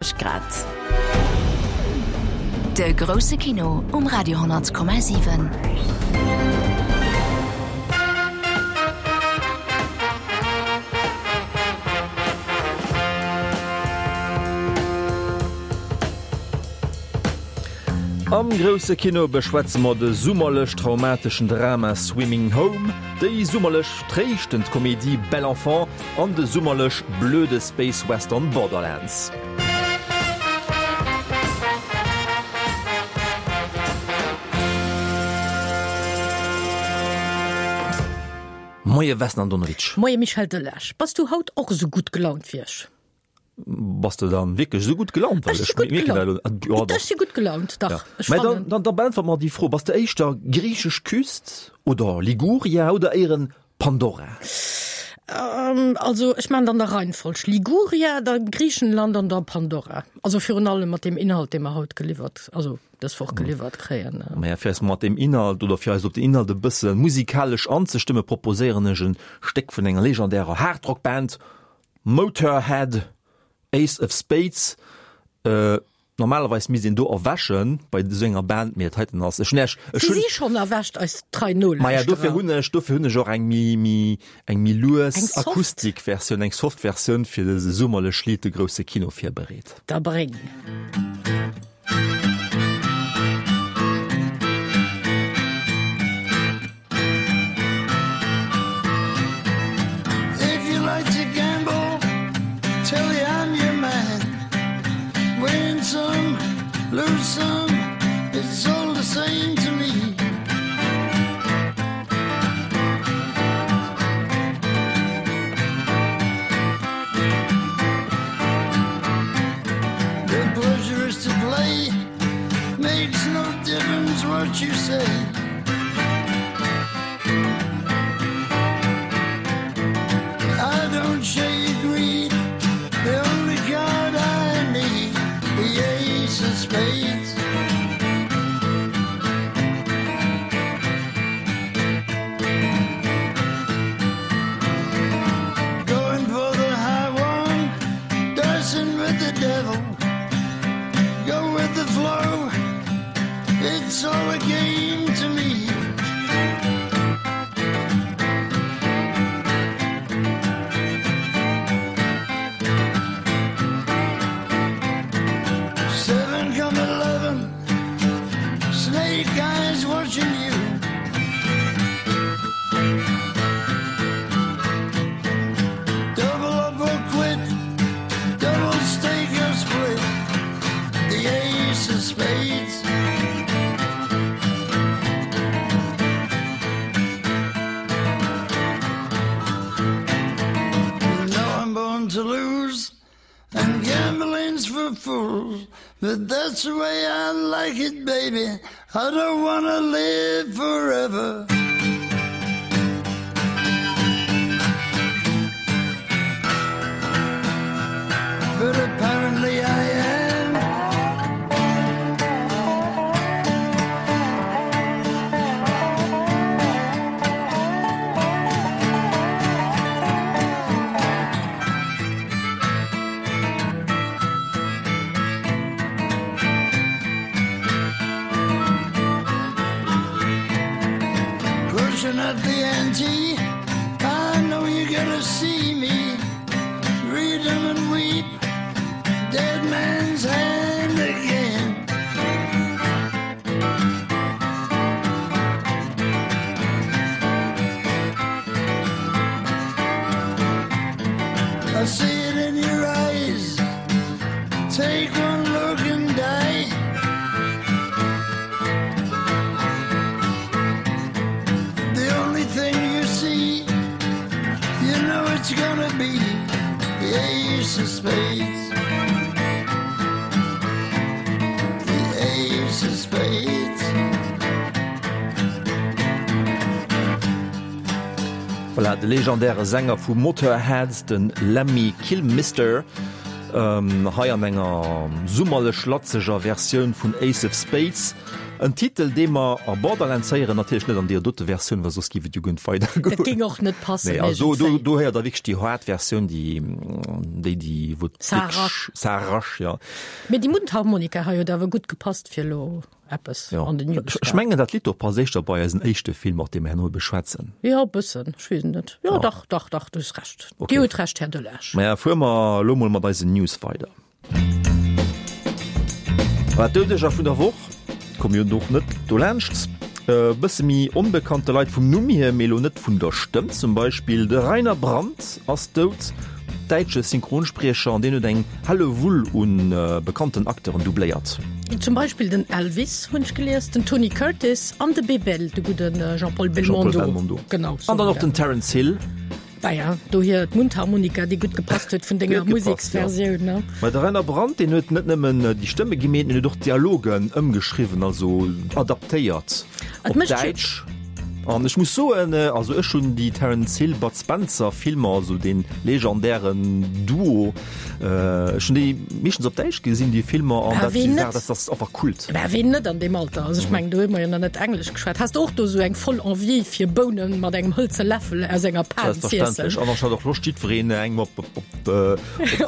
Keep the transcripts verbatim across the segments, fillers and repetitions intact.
Grad. De grousse Kino um Radio honnert Komma siwen. Am grousse Kino beschwätze mer de summerlech traumateschen Drama Swimming Home, déi summerlech tréischtend Komedie Belle Enfant an de summerlech blöde Space Western Borderlands. Moie Vesna Andonovic. Moie Michel Delage. Bass du haut och esou gutt gelaunt wéi ech? Bass de dann wierklech esou gutt gelaunt? Ech si gutt gelaunt. Ech si gutt gelaunt, dach. Ech fannen. Mä dann, dann beäntwert mer déi Fro, Bass de éischter griichesch Küst oder Liguria oder éieren Pandora? Also ech maachen et an der Reihenfolg, Liguria, da Griichenland an da Pandora. Also virun allem mat deem Inhalt, dee mer haut geliwwert, also dës Woch geliwwert kréien. Maja, fir eis mat deem Inhalt oder fir eis op den Inhalt e bësse musikalesch anzestëmme, proposéieren ech e Stéck vun enger legendärer Hardrock-Band, Motörhead, Ace of Spades. Normalerweis misst een do erwächen bei esou enger Band, mee dat heiten ass, ech hunn ech, ech hunn. Si si schonn erwächt, eis trei Nolauschterer. Maja, dofir hunn ech, dofir hunn ech och eng méi, méi, eng méi lues Akustikversioun, eng soft Versioun fir dëse summerlech Lidd, de grousse Kino virbereet. Da bréng. But that's the way I like it, baby. I don't wanna live forever. But apparently I am. Pushing up the ante, I know you gotta see me. Read 'em and weep, dead man's hand again. I see it in your eyes. Take one look and die. The only thing you see, you know it's gonna be the ace of spades. The ace of spades. Voilà, de legendäre Sänger vu Motörhead, de Lemmy Kilmister, hei an enger summerlech latzeger Versioun vun Ace of Spades. En Titel, dee mer a Borderlands héieren, natierlech net an deer dote Versioun, well soss giff et jo guer net weidergoen. Dat géing och net passen. Nee, also do, do héiert der wierklech déi haart Versioun, déi, déi, déi, wou Ça arrache. Ça arrache, ja. Mee déi Mundharmonika hei huet awer gutt gepasst fir elo eppes Ja. an den Ech ech mengen, dat Lidd do passt éischter bei eisen éischte Film, och dee mer herno beschwätzen. Jo, e bëssen, ech weess et net. Jo, dach, dach, dach, du hues Recht. Okay. Dir hutt Recht, Här Delage. Maja, fuere mer elo mol mat eisen News weider. Voilà, d'Doudeger vun der Woch komme jo och net dolaanscht. E bësse méi onbekannte Leit vum Numm hier, mee elo net vun der Stëmm. Zum Beispill de Rainer Brandt ass dout, däitsche Synchronspriecher, an deen huet eng Hellewull u bekannten Acteuren doubléiert. Zum Beispill den Elvis, hunn ech gelies, den Tony Curtis an de Bebel, de gudde Jean-Paul Jean-Paul Belmondo. Belmondo. Genau, An dann och den Terence Hill. Naja, dohier d'Mundharmonika, déi gutt gepasst huet vun denger Déi huet gepasst, ja. Museksversioun, ne? Mä de Rainer Brandt, deen huet net nëmmen déi Stëmme gemeet, deen huet och d'Dialogen ëmgeschriwwen, also adaptéiert Et op mécht jo. Däitsch. An ech muss soen, also ech hunn déi Terence Hill, Bud Spencer Filmer, also dee legendären Duo, ech hunn déi meeschtens op Däitsch gesinn, déi Filmer, an Bah, dat si ween Saachen, net? dat ass einfach Kult. Bah, ween net an deem Alter? Also ech mengen, do hu mer jo nach net Englesch geschwat. Has de och do sou eng voll Envie fir Bounen mat engem hëlze Läffel aus enger Pan z'iessen? Selbstverständlech. An ech hat och Loscht, jiddwereen engem op, op, op,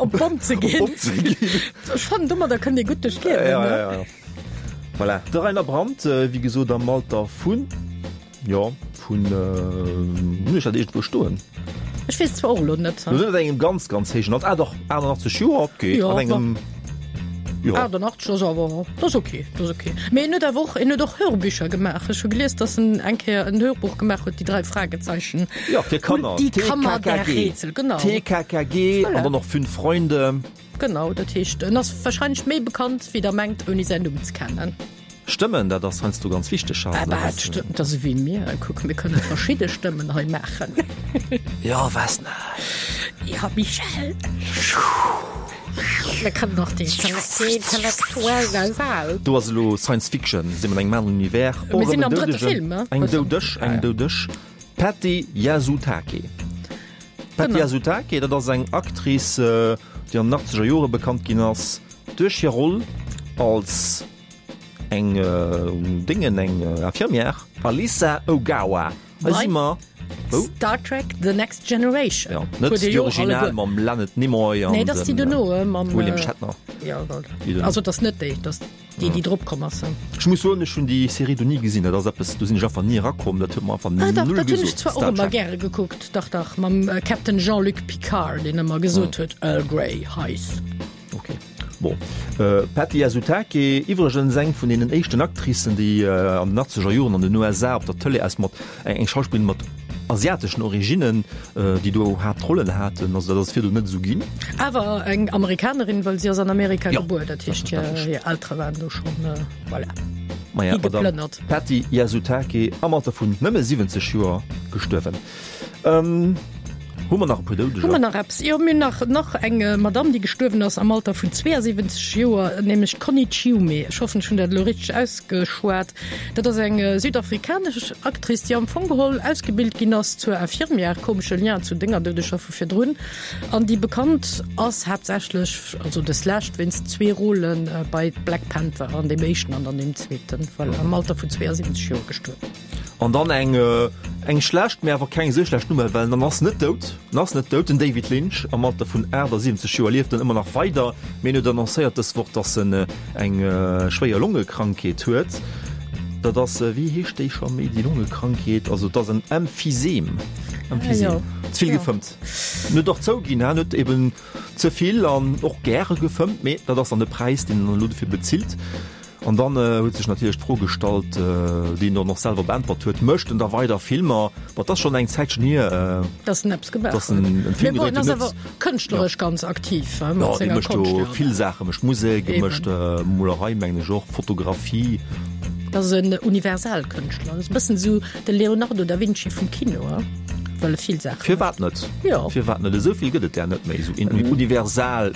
Op d'Bomm ze op ginn. d'Bomm ze ginn. Ech fannen, domadder kënnt ee gutt duerch d'Liewen, Ja, ne? ja, ja. Voilà. De Rainer Brandt, wéi gesot, am Alter vun, jo, vun, hunn ech dat iergendwou stoen? Ech weess zwar och elo net. Lo net an engem ganz, ganz héijen Alter. Ah dach, achtannachtzeg Joer, okay. Jo, An engem, jo. Achtannachtzeg ass awer, dat ass okay, dat ass okay. Mee en huet awer och, en huet och Hörbücher gemaach. Ech hu gelies, dass en eng Kéier en Hörbuch gemaach huet, Die drei Fragezeichen. Ja, fir Kanner. Und die Kammer der T K K G. Rätsel, genau. T K K G Voilà. an dann och Fünf Freunde. Genau, dat heescht, en ass wahrscheinlech méi bekannt, wéi der mengt, ouni säin Numm ze kennen. Stëmmen, dat ass heiansdo ganz wichteg. Also, Ah, bah, dat ass, dat ass ewéi mir. Kuck, mir kënne verschidde Stëmmen hei maachen. Ja, was net? Ja, Michel. Mir kënnen och déi intellektuell nasal. Do ass elo Science Fiction, si mer an engem aneren Univers. Mir sinn Och erëm am en drëtte Doudegen. Film, ne? Eng Doudeg, eng Doudeg. Patty Yasutake. Patty Genau. Yasutake, dat ass eng Actrice, déi an den achtzeger Jore bekannt ginn ass duerch hir Roll als eng Déngen, eng Infirmière, Alisa Ogawa. Hei si mer wou? Star Trek The Next Generation. Ja, net Huet Dir déi jo och Original alleguer. mam Leonard Nimoy an Nee, dat ass déi dem dono, mam William Shatner. Ja, voilà. Déi dono. Also dat ass net déi, dat ass déi, déi drop komm ass. Ech muss soen, ech hunn déi Serie do ni gesinn. Dat ass eppes, do sinn ech einfach ni erakomm. Dat huet mer einfach Ah, dach, null dat hunn ech gesot. zwar och Star ëmmer Trek. gäre gekuckt. Dach, dach, mam Captain Jean-Luc Picard, deen ëmmer gesot huet, Earl Grey, heiß. Okay. Bon. Äh, Patty Yasutake, iwwregens eng vun deenen éischten Actricen, déi äh, an den achtzeger Joren an den U S A op der Tëlee aus mat eng, eng Schauspillerin mat asiateschen Originnen, äh, déi do Haaptrollen haten. Also dat ass virdu net esou ginn. Awer eng Amerikanerin, well si ass an Amerika Ja, gebuer, dat heescht, hir, selbstverständlech. hir Eltere waren do schonn, äh, voilà, Maja, Madame higeplënnert. Patty Yasutake am Alter vun nëmme siwwenzeg Joer gestuerwen. Ähm, Hu mer nach e puer Doudeger? Hu mer nach eppes? Jo, mir hunn nach, nach eng Madamm, déi gestuerwen ass am Alter vun zweeësiwwenzeg Joer, nämlech d'Connie Chiume. Ech hoffen, ech hunn dat elo richteg ausgeschwat. Dat ass eng südafrikanesch Actrice, déi am Fong geholl ausgebilt ginn ass zur Infirmière, komesche Lien zu denger Doudeger vu virdrun, an déi bekannt ass haaptsächlech, also des Lescht, wéinst zwee Rôlen bei Black Panther, an deem éischten an an deem zweeten. Voilà, am Alter vun zweeësiwwenzeg Joer gestuerwen. An dann eng, eng schlecht, mä awer keng esou schlecht Nouvelle, well en ass net dout, en ass net dout, den David Lynch am Alter vun achtasiwwenzeg Joer lieft en ëmmer nach weider, mee en huet annoncéiert dës Woch, dass en eng schwéier Longekrankheet huet. Dat ass, wéi heescht déi scho méi, déi Longekrankheet? Also et ass en Emphysem, Emphysem, ze vill gefëmmt. En huet och zouginn, en huet eben ze vill an och gäre gefëmmt, mee dat ass dann de Präis, deen en elo dofir bezilt. An dann huet sech natierlech d'Fro gestallt, déi en dann och selwer beäntwert huet, Mécht en da weider Filmer? Ma et ass schonn eng Zäitchen hier, Dass en eppes gemaach dass en huet. en Film Mee bon, gedréit en ass huet. awer kënschtleresch ganz aktiv, he, Jo, mat dee senger mécht jo Konscht, jo. vill Saachen, mécht Musek, e Eben. mécht Molerei, mengen ech och, Fotografie. Dat ass en Universalkënschtler. Dat ass e bëssen esou de Leonardo da Vinci vum Kino, he, well e vill Saache mécht. Firwat net? Jo. Firwat net? Esou vill gëtt et där net méi, esou universal,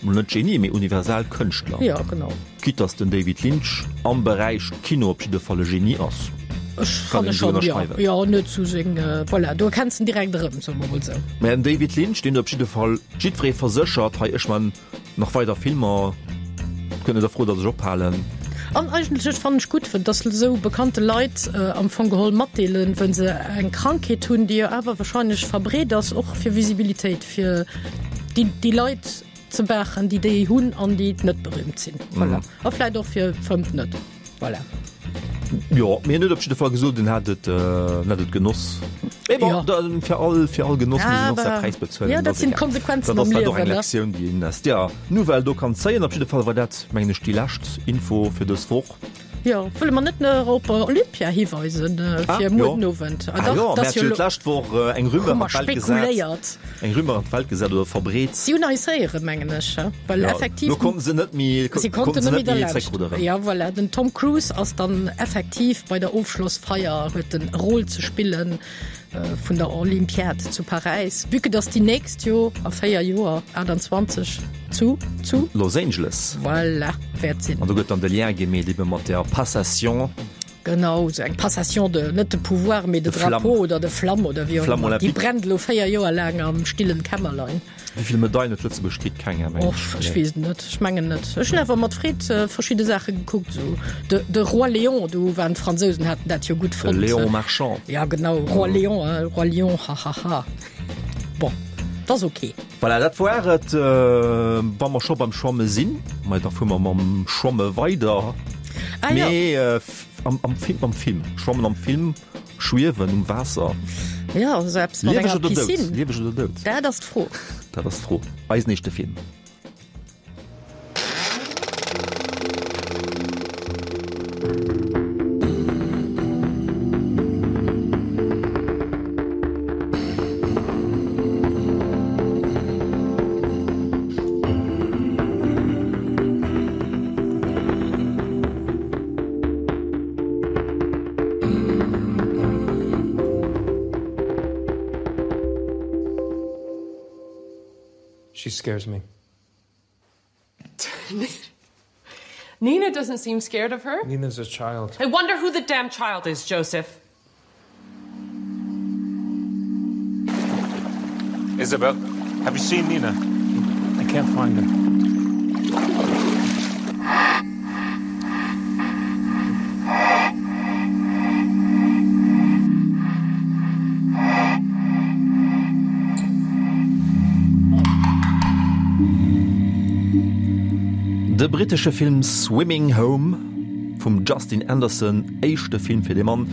net Genie, mee universal Kënschtler. Jo, genau. Quitte dass den David Lynch am Beräich Kino op jidde Fall e Genie ass. Ech Kann fanne een esou schonn, jo. ënnerschreiwen. Jo, en huet sou seng, voilà, do erkenns en direkt erëm, soe mer mol esou. Mä den David Lynch, deen huet op jidde Fall jiddweree verséchert, hei, ech man nach weider Filmer, kënnt net a Fro, dass ech ophalen. An eigentlech fannen ech gutt, dass esou bekannte Leit am Fong geholl matdeelen, wa se eng Krankheet hunn, déi jo awer wahrscheinlech verbreet ass, och fir Visibilitéit fir déi, déi Leit ze maachen, déi déi hunn an déi net berühmt sinn. Voilà. A vläicht och fir fëmmt net. Voilà. Jo, mee en huet op jidde Fall gesot, en hätt et, en hätt et genoss. Mee bon, ja. da, fir all, fir all Genoss muss een och säi Präis bezuelen. Ja, dat sinn d'Konsequenzen am Liewen. Dat ass och eng Lektioun, déi een aus där Nouvelle do kann zéien. Op jidde Fall war dat, mengen ech, déi lescht Info fir dës Woch. Jo, wëlle mer net nach op Olympia hiweisen fir muer den Owend? Ah jo, mir hate jo d'lescht Woch eng Rumeur an d'Welt gesat. Eng Rumeur an d'Welt gesat oder verbreet. Si hunn eis héieren, mengen ech, well effektiv. Lo konnten se net méi, si konnten net méi derlaanscht. Ja, voilà, den Tom Cruise ass dann effektiv bei der Ofschlossfeier, huet en Rôle ze spillen. Vun der Olympiad zu Paräis, vue que dass déi nächst jo a véier Joer, achtundzwanzeg, zu, zu? Los Angeles. Voilà, wäert sinn. An do gëtt dann de Lien gemeet ebe mat der Passation. Genau, esou eng Passation de, net de pouvoir, mee de drapeau oder de flamme oder wéi och ëmmer. Déi brennt elo véier Joer laang am stillen Kämmerlein. Wéi vill Medailen huet Lëtzebuerg kritt? Keng, mengen ech. Ech weess et net, ech mengen net. Ech hunn awer mat Freed verschidde Saache gekuckt, esou de, de Roi Léon, do waren d'Fransousen, haten dat jo gutt fonnt. De Léon Marchand. Ja genau, Roi Léon, hein, Roi Lion, hahaha. Bon, 't ass ok. Voilà, dat war et. Wa mer scho beim Schwamme sinn, ma da fuere mer mam Schwamme weider. Ah jo. Mee am, am Film, am Film, Schwammen am Film. Schwiewen um Waasser. Jo, esou eppes mat Lieweg enger oder dout? Piscine. Lieweg oder dout? Dat ass d'Fro. Dat ass d'Fro. Eisen éischte Film. She scares me. Nina doesn't seem scared of her. Nina's a child. I wonder who the damn child is, Joseph. Isabel, have you seen Nina? I can't find her. De brittesche Film Swimming Home vum Justin Anderson, éischte Film fir de Mann,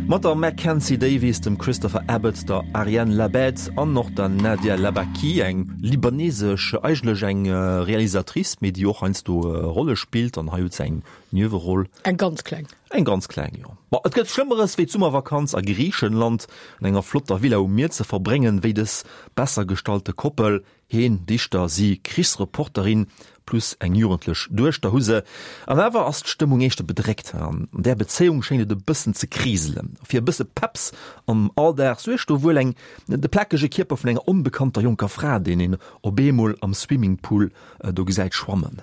mat der Mackenzie Davis, dem Christopher Abbott, der Ariane Labed an och der Nadia Labaki, eng libanesesch, eigentlech eng Realisatrice, mee déi och heiansdo Rolle spillt, an hei huet se eng Nieweroll. Eng ganz kleng. Eng ganz kleng, jo. Bon, et gëtt Schlëmmeres wéi d'Summervakanz a Griichenland an enger flotter Villa um Mier ze verbréngen, wéi dës besser gestallte Koppel, heen Dichter, si Krichsreporterin, plus eng jugendlech Duechter hu se. An awer ass d'Stëmmung éischter bedréckt. An där Bezéiung schéngt et e bëssen ze kriselen. Fir e bësse Peps am Alldag suergt do wuel eng de plakege Kierper vun enger onbekannter jonker Fra, deen een op eemol am Swimmingpool do gesäit schwammen.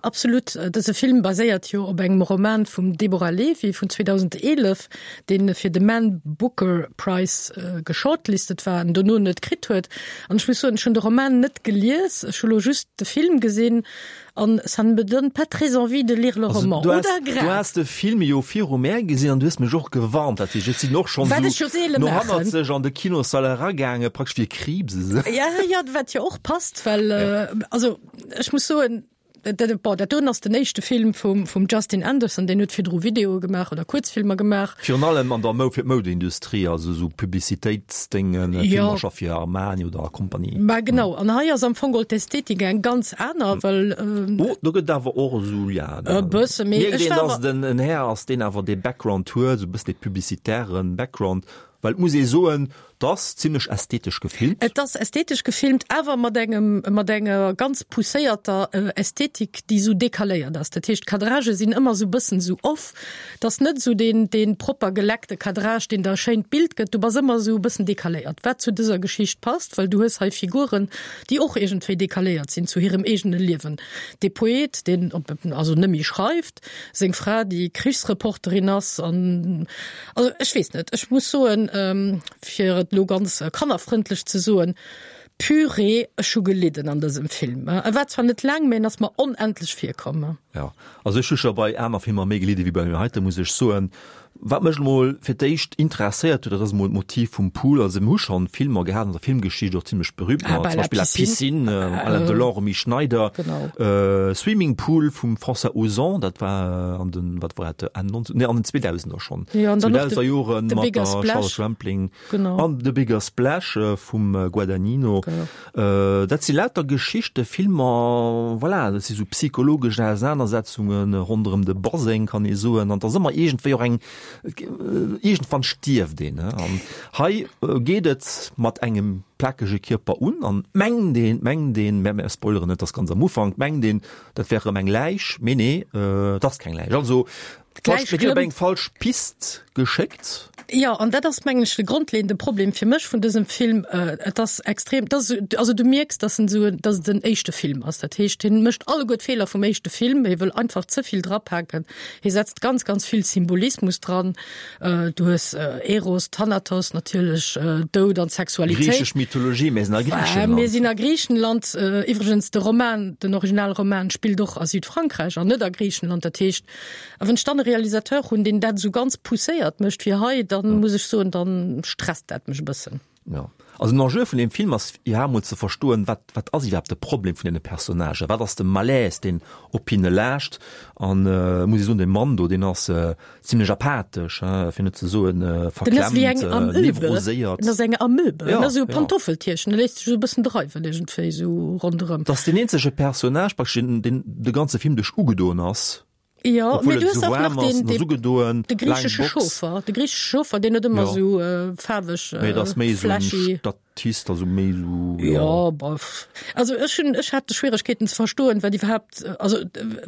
Absolut. Dëse Film baséiert jo op engem Roman vum Deborah Levy vun zweedausendeelef, dee fir de Man Booker Prize geshortlistet war an dono net kritt huet. An ech muss soen, ech hunn de Roman net gelies, ech hu lo just de Film gesinn an ça ne me donne pas très envie de lire le roman. Du Oder has, du grad? has de Film jo viru mär gesinn an du hues mech och gewarnt. Dat heescht, ech sinn och schonn Wat ech esou jo seele no maachen. hannerzeg an de Kinossall eragaangen, praktesch wéi e Kriibs esou. Ja, ja, wat jo och passt, well, also ech muss soen, Dat, bon, dat doen ass den éischte Film vum, vum Justin Anderson, deen huet virdru Videoe gemaach oder Kuerzfilmer gemaach. Virun allem an der Mou fir d'Moudeindustrie, also esou Publicitéitsdéngen, Ja. Filmercher fir Armani oder Compagnie. Mä genau, an hei ass am Fong geholl d'Ästhetik eng ganz aner, well, ähm, Oh, do gëtt awer och esou, ja, E bësse, mee mierkt ech een, war dass awer. et en, en Här ass, deen awer dee Background huet, esou e bëssen dee publicitären Background. Well et muss ee soen, et ass zimlech ästhetesch gefilmt. Et ass ästhetesch gefilmt, awer mat engem, mat enger ganz pousséierter Ästhetik, déi esou decaléiert ass. Dat heescht, d'Cadragë sinn ëmmer esou bëssen esou off. Et ass net esou deen, deen propper geleckte Cadrage, deen der e schéint Bild gëtt. Du bass ëmmer esou e bëssen decaléiert, wat zu dëser Geschicht passt, well du hues hei Figuren, déi och iergendwéi decaléiert sinn zu hirem eegene Liewen. Dee Poet, deen op, also net méi schreift, seng Fra, déi Krichsreporterin ass an, also ech weess net, ech muss soen, fir et elo ganz kannerfrëndlech ze soen, Purée, ech hu gelidden an dësem Film. E war zwar net laang, mä en ass mer onendlech virkomm. Jo, also ech hu scho bei aner Filmer méi gelidde wéi bei deem heite, muss ech soen. Wat mech emol fir d'éischt interesséiert huet, dat ass emol d'Motiv vum Pool. Also mir hu schonn Filmer gehat an der Filmgeschicht, och zimlech berühmt, Ah, zum Beispill La Piscine, Piscine, Alain Delon, Romy Schneider, Genau. Swimming Pool vum François Ozon, dat war an den, wat war dat, Enn neunzehn, nee, an den zweedausender schonn, Ja, an dann och zweedausender The, Joren The mat Bigger der Splash. Charlotte Rampling Genau. an The Bigger Splash vum Guadagnino. Genau. Dat si lauter Geschichte, Filmer, voilà, dat si sou psychologesch Ausenanersetzunge ronderëm de Baseng, kann ee soen, an et ass ëmmer iergendwéi och eng, iergendwann stierft een. An hei geet et mat engem plakege Kierper un an mengt een, mengt een, mä mir spoileren net, dat ass ganz am Ufank, mengt een, dat wär erëm eng Läich, mee nee, et ass keng Läich. Also, D'Läich mir ginn op klëmmt. eng falsch Pist geschéckt. Jo, an dat ass, mengen ech, de grondleeënde Problem fir mech vun dësem Film. Et ass extrem, dat ass, also du mierks, dass en esou, dass et den éischte Film ass. Dat heescht, hien mécht alleguer d'Feeler vum éischte Film, hie wëll einfach ze vill drapaken, hie setzt ganz, ganz vill Symbolismus dran. Du hues Eros, Thanatos natierlech, Doud an Sexualitéit. Griichesch Mythologie, mir sinn a Griichenland. Mir sinn a Griichenland. Iwwregens, de Roman, den Originalroman spillt och a Südfrankräich an net a Griichenland. Dat heescht, a wann ech dann e Realisateur hunn, deen dat esou ganz pousséiert mécht wéi hei, dann muss ech soen, dann stresst dat mech e bëssen. Jo. Also den Enjeu vun deem Film ass iwwerhaapt emol ze verstoen, wat, wat ass iwwerhaapt de Problem vun deene Personnagen, wat ass de Malaise, deen op hinne laascht. An muss ech soen, dee Mann do, deen ass zimlech apathesch, hein, fir net ze soen Den ass wéi eng verklemmt, Amöbe. nevroséiert. Den ass eng Amöbe. Ja, Den ass esou e ja. Pantoffeltierchen, e léisst sech esou e bëssen dreiwen iergendwéi esou ronderëm. Dat ass deen eenzege Personnage praktesch, deen, deen de ganze Film duerch ugedoen ass. Jo, Obwuel mee et du hues esou och nach waarm ass, den, en ass de, ugedoen, de laang griichesche Box. Chauffer, de griichesche Chauffer, deen huet ëmmer Ja. esou äh, faarweg, Mee dat ass méi esou en flashy. Statist, also méi esou, ja. Ja, bof. Also ech hunn, ech hat Schwieregkeeten ze verstoen, wat iwwerhaapt, also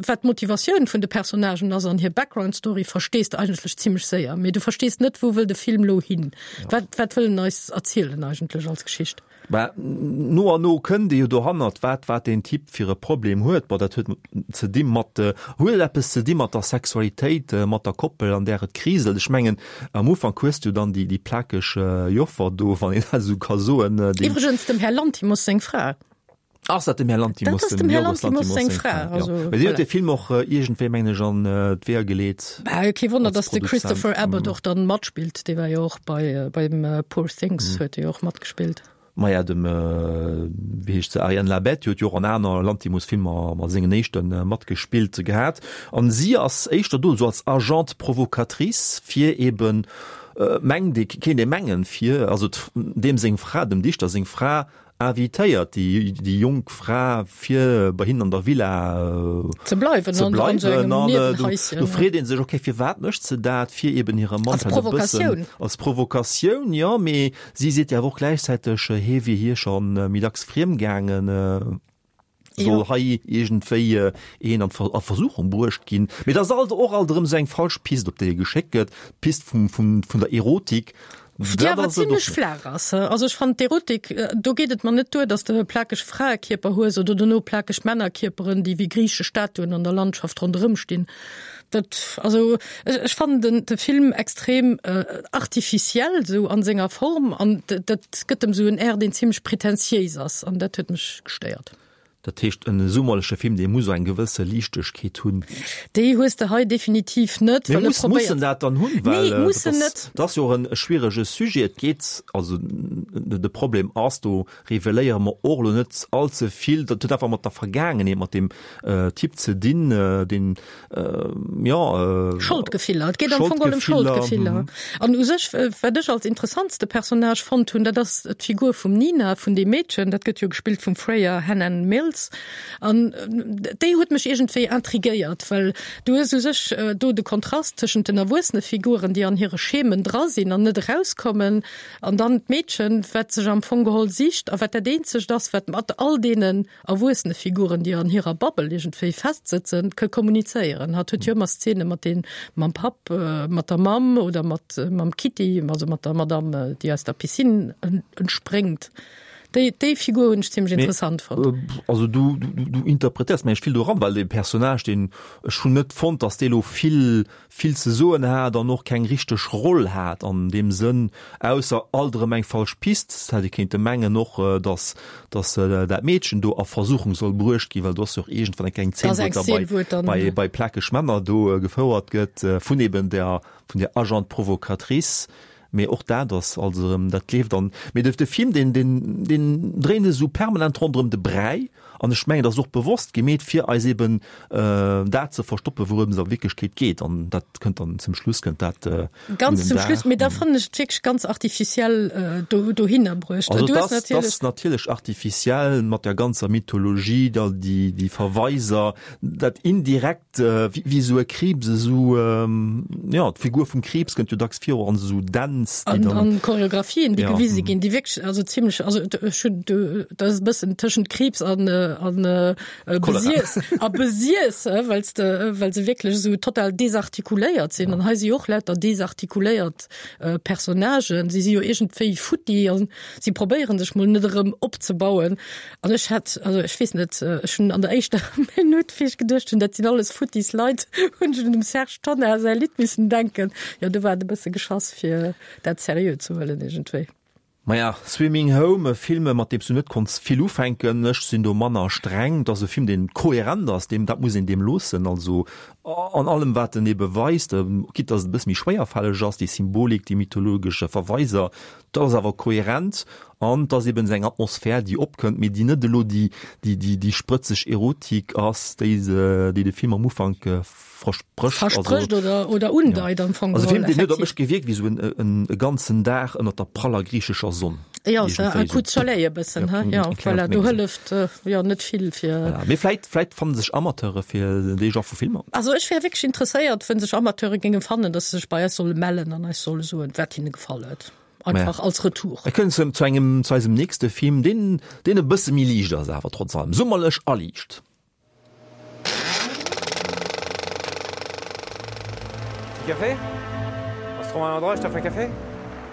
wat d'Motivatioun vun de Personnagen ass an hir Background-Story verstees de eigentlech zimmlech séier. Mee du verstees net, wou wëll de Film lo hin? Wat, wat wëll en eis erzielen eigentlech als Geschicht? Mä no an no kënnt ee jo dohannert, wat, wat deen Typ fir e Problem huet. Bon, dat huet ze di mat, huet et eppes ze di mat der Sexualitéit, mat der Koppel, an där et kriselt. Ech mengen, am Ufank hues du dann déi, déi plakeg Joffer do, wann een dat esou ka soen, déi. Iwwregens dem Här Lanthimos seng Fra. Ass dat dem Här Lanthimos, Dat ass dem dem Här Yorgos Lanthimos Lanthimos seng seng Fra, Fra, jo. also Mä si huet voilà. de Film och iergendwéi, mengen ech, an d'Weeër geleet. Bah, kee Wonner, Als dass de Produzent. Christopher Abbott och dann matspillt. Dee war jo och bei, beim Poor Things huet e jo och matgespillt. Maja, dem, wéi heescht se, Ariane Labed, déi huet jo och an aner Lanthimos-Filmer mat sengen éischten matgespillt gehat. An si ass éischter do esou als Agente provocatrice, fir eben, mengt ee, kéint ee mengen, fir, also deem seng Fra, dem Dichter seng Fra, invitéiert déi, déi jonk Fra, fir bei hinnen an der Villa ze bleiwen, ze an, an so bleiwen. engem An do, Niewenhäuschen, do ja. freet ee sech, okay, firwat mécht se dat? Fir eben hire Mann Als halt e bëssen Provokatioun. als Provokatioun, jo, mee si seet jo awer och gläichzäiteg, hie wier hir schonn méi dacks friem gaangen, soll Jo. hei iergendwéi een an a Versuchung bruecht ginn. Mee dat ass alt och alt erëm esou eng falsch Pist, op déi e geschéckt gëtt, d'Pist vum, vum, vun der Erotik. Déi Dat awer ass et och zimlech net. flaach ass. Also ech fannen d'Erotik, do geet et mer net duer, dass de e plakeg Fraekierper hues oder dono plakeg Männerkierperen, déi wéi griichesch Statuen an der Landschaft ronderëm stinn. Dat, also ech, ech fannen den, de Film extrem äh, artificiell sou an senger Form an dat gëtt em sou en Air, deen zimlech pretentiéis ass an dat huet mech gestéiert. Dat heescht, en summerleche Film, dee muss eng gewësse Liichtegkeet hunn. Déi hues de hei definitiv net, Mee well e muss, muss en probéiert. dat dann hunn? Well, Nee, äh, muss dat en ass, net. dat ass jo och en schwierege Sujet. Et geet, also de Problem ass, do reveléiere mer och elo net all ze vill, dat huet einfach mat der Vergaangenheet, mat deem äh, Typ ze dinn, äh, deen, äh, jo, äh, Scholdgefiller. Et geet am Fong geholl ëm Scholdgefiller, Scholdgefiller. mhm. An u sech, wat ech als interessantste Personnage fonnt hunn, dat ass d'Figur vum Nina, vun deem Meedchen, dat gëtt jo gespillt vum Freya Hannan Mills. An déi huet mech iergendwéi intrigéiert, well du hues u sech do de Kontrast tëschent den erwuessene Figuren, déi an hire Schemen dra sinn an net erauskommen, an dann d'Meedchen, wat sech am Fong geholl sicht a wat dat eenzegt ass, wat mat all deenen erwuessene Figuren, déi an hirer Bubble iergendwéi festsëtzen, ka kommunizéieren. Hatt huet jo ëmmer Szene mat den, mam Papp, mat der Mamm oder mat mam Kitty, also mat der Madame, déi aus der Piscine entspréngt. Déi, déi Figur hunn ech zimmlech interessant fonnt. Also du, du, du interpretéiers mengen ech vill doran, well dee Personnage, deen, ech hunn net fonnt, datt dee lo vill, vill ze soen hat an och keng richteg Roll hat an deem Sënn, ausser alt erëm eng falsch Pist. Et hätt ee kéinte mengen och, datt, datt dat Meedchen do a Versuchung soll bruecht ginn, well do ass jo och iergendwann eng kleng Zeen, wou et da bei, bei, bei plakeg Männer do gefouert gëtt vun eben der, vun der Agente provocatrice. Mee och dat ass also erëm, dat leeft an. Mee de Film, deen, deen, deen dréint esou permanent ronderëm de Bräi. An ech mengen, dat ass och bewosst gemeet, fir eis eben dat ze verstoppen, wourëms et a Wierklechkeet geet. An dat kënnt dann zum Schluss, kënnt dat un den Ganz zum Dag. Schluss. Mee da fannen ech et wierklech ganz artificiell do, dohinner bruecht. Also Du et hues ass, natierlech. ass natierlech artificiell mat der ganzer Mythologie, da déi, déi Verweiser, dat indirekt, wéi esou e Kriibs, esou, jo, d'Figur vum Kriibs kënnt jo dacks viru an esou Dänz, déi An, dann. an Choreografien, déi Ja. gewise ginn, déi wierklech, also zimmlech, also ech hunn, dat ass e bëssen tëschent Kriibs an, an Cholera. Besiess, a Besiess, well s de, well se wierklech esou total desartikuléiert sinn. An hei si jo och lauter desartikuléiert Personnagen. Si si jo iergendwéi futti an si probéieren sech mol net erëm opzebauen. An ech hätt, also ech weess net, ech hunn an der éischter Minutt, wéi ech geduecht hunn, dat sinn alles futtis Leit, hunn ech un dem Serge Tonnar säi Lidd missen denken. Jo, do war et e bësse geschass, fir dat seriö ze huelen iergendwéi. Maja, Swimming Home, e Film, mat deem s du net konns vill ufänken. Ech sinn do manner streng. Et ass e Film, deen kohärent ass, deem, dat muss een deem loossen. Also an allem, wat en ebe weist, quitte dass et e bësse méi schwéierfälleg ass, déi Symbolik, déi mythologesch Verweiser, dat ass awer kohärent an et ass eben esou eng Atmosphär, déi opkënnt, mee déi net elo déi, déi, déi, déi sprëtzeg Erotik ass, déi se, déi de Film am Ufank versprécht. Versprécht oder, oder undeit am Fong Also e Film, geholl, deen huet op effektiv. mech gewierkt wéi esou en, en, e ganzen Dag ënnert der praller griichescher Sonn. Ja, so Iergendwéi un coup de soleil e bëssen, Ja, he? Ja, eng kleng voilà, do Menge. hëlleft jo net vill fir. Voilà. Mee vläit, vläit fanne sech Amateure fir dee Genre vu Filmer. Also ech wär wierklech interesséiert, wa sech Amateure géinge fannen, dass se sech bei eis solle mellen an eis solle soen, wat hinne gefall huet. Einfach Maja. als Retour. Mir kënnen zu, zu engem, zu eisem nächste Film, deen, deen e bësse méi liicht ass, awer trotz allem summerlech a liicht. Petit café? On se trouve un endroit, je t'offre un café?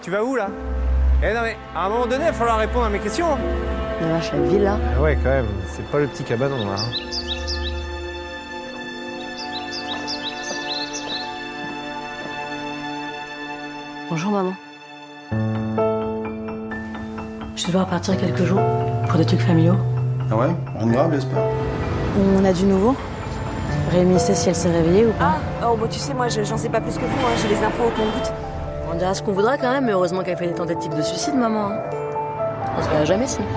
Tu vas où là? Eh non mais, à un moment donné, il va falloir répondre à mes questions. La vache, la villa. Ah ouais, quand même, c'est pas le petit cabanon là. hein. Bonjour maman. Je vais devoir partir quelques jours pour des trucs familiaux. Ah ouais? Rien de grave, j'espère. On a du nouveau? Rémi sait si elle s'est réveillée ou pas. Ah, oh, bon, tu sais, moi, je- j'en sais pas plus que vous, hein, j'ai les infos au compte-gouttes. On dira ce qu'on voudra quand même, mais heureusement qu'elle fait des tentatives de suicide, maman. hein. On se verra jamais sinon.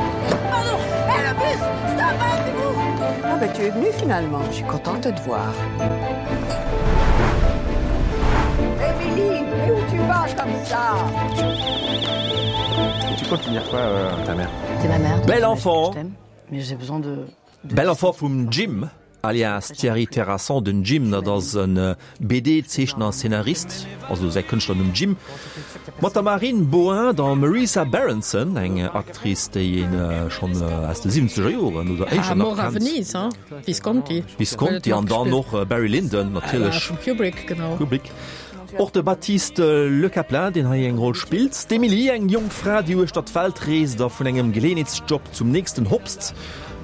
Pardon! Hé, le bus! Stop, arrêtez-vous! Ah bah tu es venue finalement, je suis contente de te voir. Émilie, mais où tu vas comme ça? Tu comptes finir quoi, euh, ta mère? T'es ma mère. donc Bel j'imagine enfant. que je t'aime, mais j'ai besoin de. de Bel enfant vum Jim, alias Thierry Terrasson. Den Jim, dat ass en B D-Zeechner a Szenarist, also säi Kënschtlernumm Jim, mat der Marine Bohin, der Marisa Berenson, eng Actrice, déi een schonn aus de siwwenzeger Joren oder éischter nach Mort à kennt. Venise, hein? Visconti. Visconti an dann och Barry Lyndon natierlech. Vum Kubrick, genau. Kubrick. Och de Baptiste Lecaplain, deen hei eng Roll spillt. D'Emilie, eng jonk Fra, déi uechter d'Welt reest a vun engem Geleeënheetsjob zum nächsten hopst,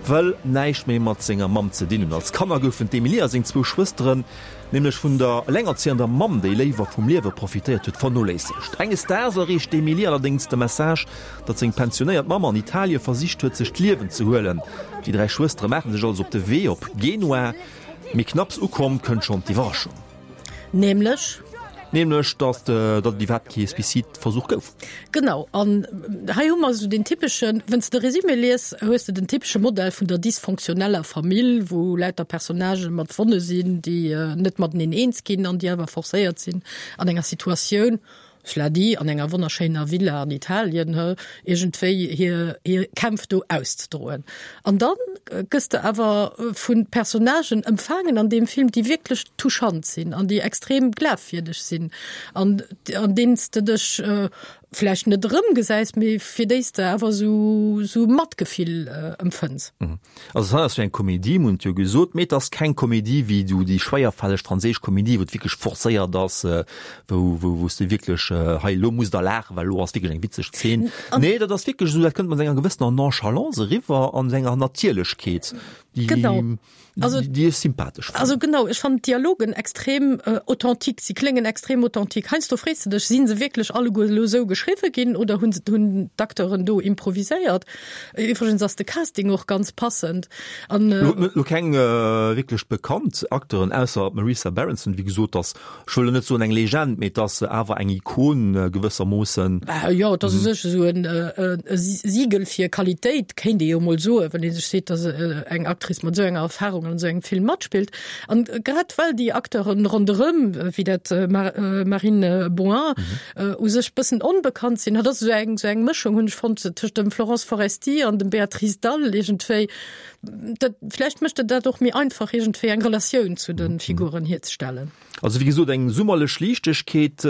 wëll näischt méi mat senger Mamm ze dinn hunn. Als Kanner goufen d'Emilie a seng zwou Schwësteren nämlech vun der elengerzéiender Mamm, déi léiwer vum Liewe profitéiert huet, vernoléissegt. Enges Daags erreecht d'Emilie allerdéngs de Message, datt seng pensionéiert Mamm an Italie versicht huet, sech d'Liewen ze huelen. Déi dräi Schwëstere maache sech also op de Wee op Genua, mee knapps ukomm, kënnt schonn d'Iwwerraschung. Nämlech? Nämlech, datt datt et iwwerhaapt kee Suicideversuch gouf. Genau, an hei hu mer esou den typeschen, wann s de Resumé lies, hues de den typesche Modell vun der dysfonctionneller Famill, wou lauter Personnagë mat Wonne sinn, déi net mateneen eens ginn an déi awer forcéiert sinn, an enger Situatioun, cela dit, an enger wonnerschéiner Villa an Italien, iergendwéi hir hir Kämpf do auszedroen. An dann gëss de awer vu Personnagen ëmfaangen an deem Film, déi wierklech touchant sinn an déi extrem glafwierdeg sinn an an deenen s de dech vläicht net erëmgesäis, mee fir déi s de awer esou esou Matgefill empfënns. Also et ass jo eng Komedie, mir hunn et jo gesot, mee et ass keng Komedie wéi esou déi schwéierfälleg franséisch Komedie, wou et wierklech forcéiert ass, wou wou wou s de wierklech hei elo musst der laachen, well elo ass wierklech eng witzeg Zeen. Nee, dat ass wierklech esou, dat kënnt mat enger gewëssener Nonchalance eriwwer an enger Natierlechkeet, déi Genau. Also, déi ech sympathesch fannen. Also genau, ech fannen d'Dialogen extrem äh, authentique, si kléngen extrem authentique. Heiansdo frees de dech, sinn se wierklech alleguer elo esou geschriwwe ginn oder hunn hunn d'Acteuren do improviséiert? Iwwregens ass de Casting och ganz passend. An Lo äh, lo keng äh, wierklech bekannt Acteuren ausser d'Marisa Berenson, wéi gesot, ass, ech wëll elo net soen eng Legend, mee et ass awer eng Ikon äh, gewëssermoossen. Bah, jo, et ass u sech esou en äh, e Siegel fir Qualitéit, kéint ee jo mol soen, wann ee sech seet, dass äh, eng Actrice mat esou enger Erfahrung an esou engem Film matspillt. An grad well déi Acteuren ronderëm, wéi dat Marine Boin, u sech bëssen onbekannt sinn, dat ass esou eng, esou eng Mëschung, hunn ech fonnt, tëscht dem Florence Foresti an dem Béatrice Dalle iergendwéi. Dat, vläicht mécht et dat och méi einfach, iergendwéi eng Relatioun zu de Figuren hierzestellen. Also wéi gesot, eng summerlech Liichtegkeet,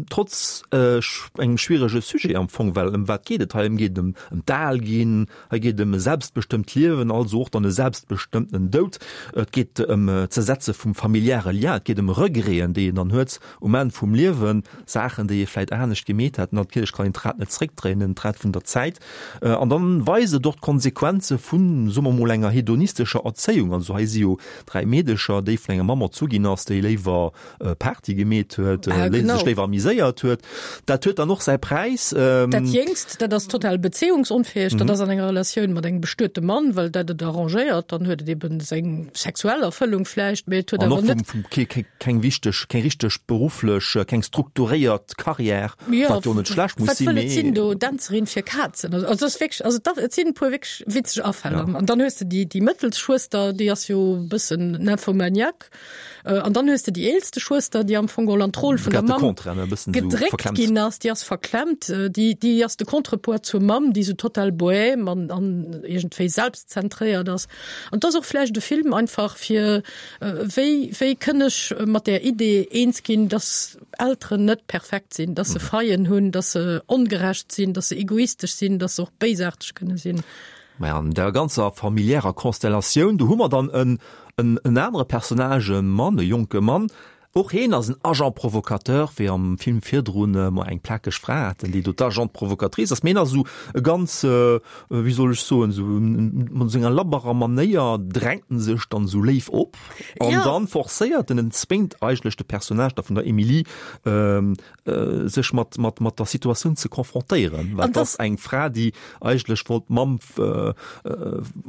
trotz engem schwierege Sujet am Fong, well ëm wat geet et hei? Ëm geet et ëm d'Alginn, hei geet et ëm e selbstbestëmmt Liewen, also och dann e selbstbestëmmten Doud. Et geet ëm d'Zersetze vum familiäre Lien, et geet ëm Regreten, déi een dann huet um Enn vum Liewen, Saachen, déi ee vläit anescht gemeet hätt. Natierlech kann een d'Rad net zréckdréinen, d'Rad vun der Zäit. An dann weist et och d'Konsequenze vun, soe mer mol, enger hedonistescher Erzéiung. Also hei si jo dräi Meedecher, déi vun enger Mamm erzu ginn ass, déi léiwer Party gemeet huet, sech léiwer amiséiert huet. Dat huet dann och säi Präis. Dat Jéngst, dat ass total bezéiungsunfäeg, dat ass an enger Relatioun mat engem bestuete Mann, well dat et arrangéiert. Dann huet et eben seng sexuell Erfëllung vläicht, mee et huet awer net. An och keng wichteg, keng richteg berufflech, keng strukturéiert Carrière, wat jo net schlecht muss sinn, mee. Wat wëll et sinn do, Dänzerin fir Kazen? Also et ass wierklech, also et sinn e puer wierklech witzeg Afäll. An dann hues de déi, déi mëttelst Schwëster, déi ass jo e bëssen Nymphomaniaque. An dann hues de déi eelste Schwëster, déi am Fong geholl an d'Roll vun der Mamm gedréckt ginn ass, déi ass verklemmt, déi, déi ass de Contrepoids zur Mamm, déi sou total bohème an, an iergendwéi selbstzentréiert ass. An et ass och vläicht e Film einfach fir, wéi, wéi kënn ech mat där Idee eens ginn, dass Elteren net perfekt sinn, dass se Faillen hunn, dass se ongerecht sinn, dass se egoistesch sinn, dass se och béisaarteg kënne sinn. Maja, an der ganzer familiärer Konstellatioun, do hu mer dann en, en anere Personnage, e Mann, e jonke Mann, och heen ass en Agent provocateur, wéi am Film virdrun mer eng plakeg Fra haten, déi do d'Agente provocatrice ass. Mee hien ass esou e ganz, wéi soll ech soen, esou mat senger labberer Manéier drängt en sech dann esou léif op an dann forcéiert en, en zwéngt eigentlech de Personnage da vun der Émilie, sech mat, mat, mat der Situatioun ze confrontéieren, well et ass eng Fra, déi eigentlech wollt d'Mamm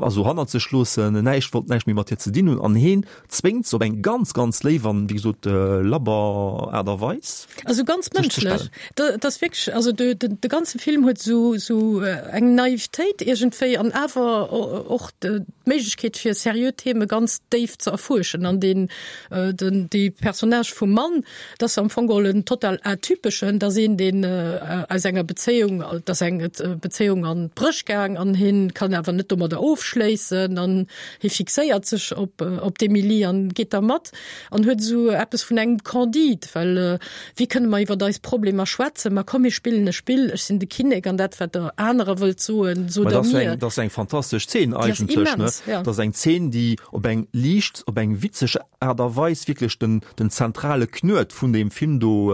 also hannert sech loossen, näischt wollt, näischt méi mat hir ze dinn hunn an heen zwéngt se op eng ganz, ganz léif an, wéi gesot, labber Aart a Weis. Also ganz mënschlech. Dat ass wierklech, also de, de, de ganze Film huet esou, esou eng Naivetéit iergendwéi an awer och d'Méiglechkeet fir seriö Theme ganz déif ze erfuerschen an deen, den, dee Personnage vum Mann, Dat ass am Fong geholl en total atypeschen, dat ass een, deen aus enger Bezéiung, dat ass eng Bezéiung an d'Bréch gaang an hien kann awer net domadder ofschléissen an hie fixéiert sech op op d'Emilie an geet da mat an huet esou eppes vun engem Candide, well wéi kënne mer iwwert eis Problemer schwätzen? Ma komm mir spillen e Spill, ech sinn de Kinnek an dat wat der anerer wëllt soen, sot der mir. Dat ass eng fantastesch Zeen eigentlech, ne? Dat ass eng Zeen, déi op eng liicht, op eng witzeg Aart a Weis wierklech den, den zentrale Knuet vun deem Film do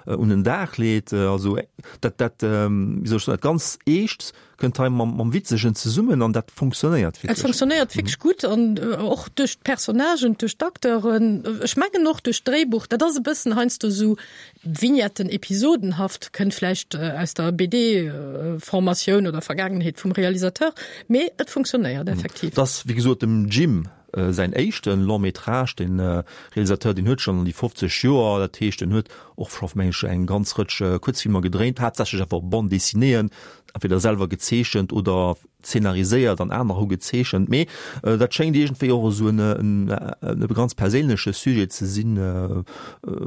un den Dag leet. Also dat, dat, wéi soll ech soen, dat ganz Eescht kënnt hei mam, mam Witzegen zesummen an dat funktionéiert Et wierklech. funktionéiert wierklech gutt an och duerch d'Personnagen, duerch d'Acteuren, ech mengen och duerch d'Dréibuch. Dat ass e bëssen heiansdo esou Vignetten, episodenhaft, kënnt vläicht aus der B D-Formatioun oder Vergaangenheet vum Realisateur, mee et funktionéiert effektiv. Et ass, wéi gesot, dem Jim Säin éischte Long métrage, de Realisateur, deen huet schonn an déi fofzeg Joer, dat heescht en huet och scho meng ech eng ganz Rëtsch Kuerzfilmer gedréint, haaptsächlech awer Bande dessinéeën, entweder selwer gezeechent oder zeenariséiert an aner hu gezeechent. Mee dat schéngt iergendwéi och esou en e ganz perséinleche Sujet ze sinn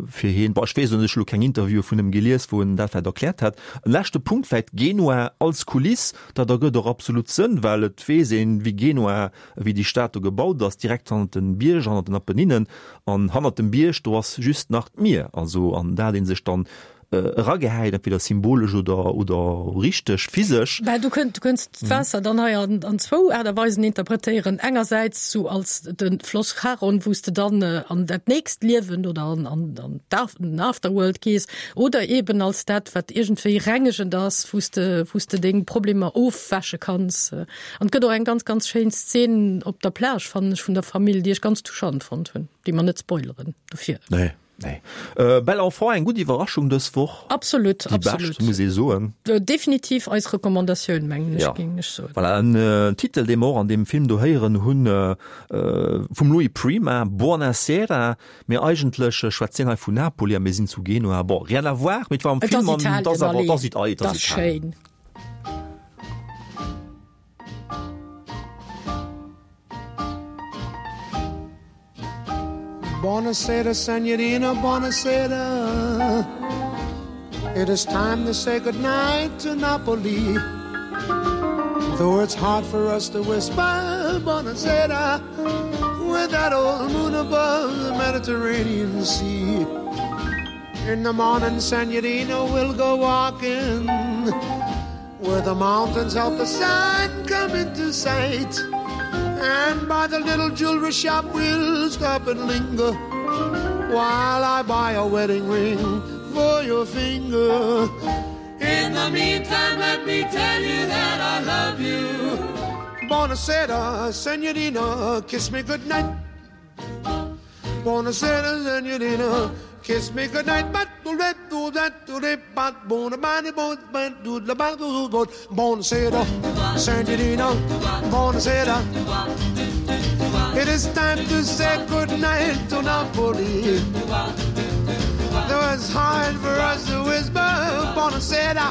fir hien. Bon, ech weess et net, ech hu lo keng Interviewe vun him gelies, wou en dat vläicht erkläert hätt. En leschte Punkt vläicht, Genua als Kuliss, dat ergëtt och absolut Sënn, well et weess een, wéi Genua wéi déi Stad do gebaut ass, direkt hannert den Bierg, hannert den Apenninen, an hannert dem Bierg, do ass just nach d'Mier, also an dat ee sech dann eragehäit, entweder symbolesch oder, oder richteg physesch. Well du kënnt, du kënns d'Waasser dann hei an, an zwou Aart a Weisen interpretéieren, engersäits sou als de Floss Charon, wou s de dann an dat nächst Liewen oder an, an, an den Afterworld gees, oder eben als dat, wat iergendwéi rengegend ass, wou s de, wou s de deng Problemer ofwäsche kanns. An et gëtt och eng ganz, ganz schéin Szen op der Plage, fannen ech, vun der Famill, déi ech ganz touchant fonnt hunn, déi mer net spoileren dofir. Nee, nee. Äh, Bel Enfant, eng gutt Iwwerraschung dës Woch. Absolut, Déi absolut. bescht, muss ee soen. Definitiv eis Recommandatioun, mengen ech, Ja. géing ech soen. Voilà, en äh, Titel, dee mer och an deem Film do héieren hunn, äh, äh, vum Louis Prima, Buonasera, mee eigentlech schwätzt hien hei vun Napoli a mir sinn zu Genua. Bon, rien à voir, mee et war am Et Film ass an et ass Italien, awer, allez. et ass Italien, et Dat ass ass Italien. schéin. Buonasera, signorina, buonasera. It is time to say goodnight to Napoli. Though it's hard for us to whisper buonasera with that old moon above the Mediterranean Sea. In the morning, signorina, we'll go walking where the mountains help the sun come into sight. And by the little jewelry shop, we'll stop and linger while I buy a wedding ring for your finger. In the meantime, let me tell you that I love you. Buonasera, signorina, kiss me goodnight. Buonasera, signorina, kiss me goodnight. But Buonasera, signorina, buonasera. It is time to say goodnight to Napoli. Though it's hard for us to whisper buonasera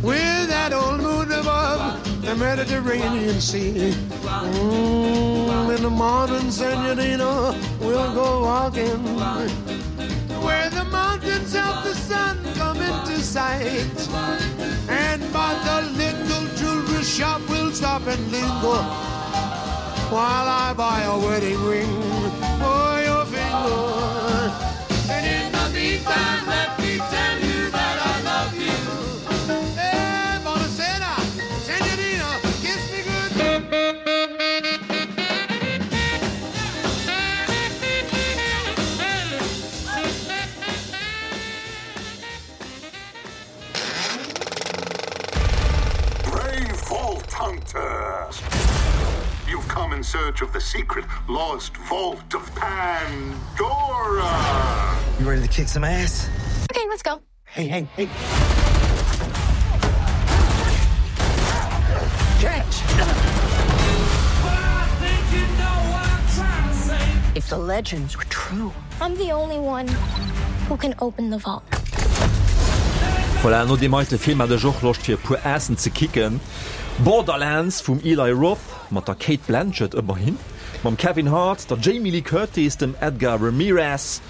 with that old moon above the Mediterranean Sea. Mm, in the morning, signorina, we'll go walking where the mountains of the sun come into sight. And by the little jewelry shop, we'll stop and linger while I buy a wedding ring for your finger. And in the meantime, let me tell you that I love you. Hey, buonasera, signorina, kiss me good. Brave vault hunters! You've come in search of the secret lost vault of Pandora! You ready to kick some ass? Okay, let's go. Hey, hey, hey. Catch! If the legends were true. I'm the only one who can open the vault. Voilà, no deem heite Film hat ech och Loscht fir e puer Aassen ze kicken. Borderlands vum Eli Roth, mat der Cate Blanchett ëmmerhin, mam Kevin Hart, der Jamie Lee Curtis, dem Edgar Ramirez.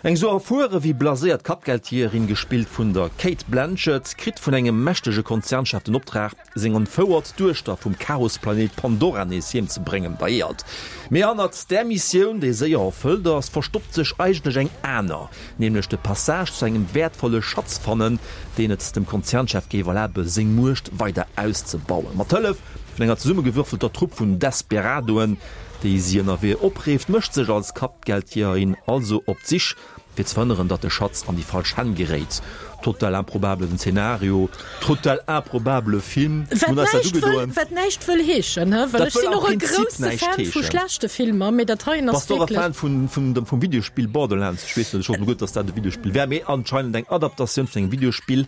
Eng sou erfuere wéi blaséiert Kappgeldjeeërin, gespillt vun der Cate Blanchett, kritt vun engem mächtege Konzernchef den Optrag, seng entfouert Duechter vum Chaosplanet Pandora nees heem ze bréngen. Bei Äerd. Mee hannert där Missioun, déi séier erfëllt ass, verstoppt sech eigentlech eng aner, nämlech de Passage zu engem wäertvolle Schatz fannen, deen et dem Konzernchef géif erlabe seng Muecht weider auszebauen. Mat Hëllef vun enger zesummegewürfelter Trupp vun Desperadoen, déi si ënnerwee opreeft, mécht sech als Kappgeldjeeërin also op d'Sich, fir ze verhënneren, datt de Schatz an déi falsch Hänn geréit. Total improbabelen Zenario, total improbabele Film. Wat Mir hunn eis dat näischt wëll, ugedoen. wat näischt wëll heeschen, hä? Well Dat ech wëll sinn am och e Prinzip grousse näischt Fan vu heeschen. schlechte Filmer, mee dat heien ass Bass de och e wierklech. Fan vun, vun dem, vum Videospill Borderlands? Ech weess net, ech hoffen gutt, datt dat e Videospill wär, mee anscheinend eng Adaptatioun vun engem Videospill.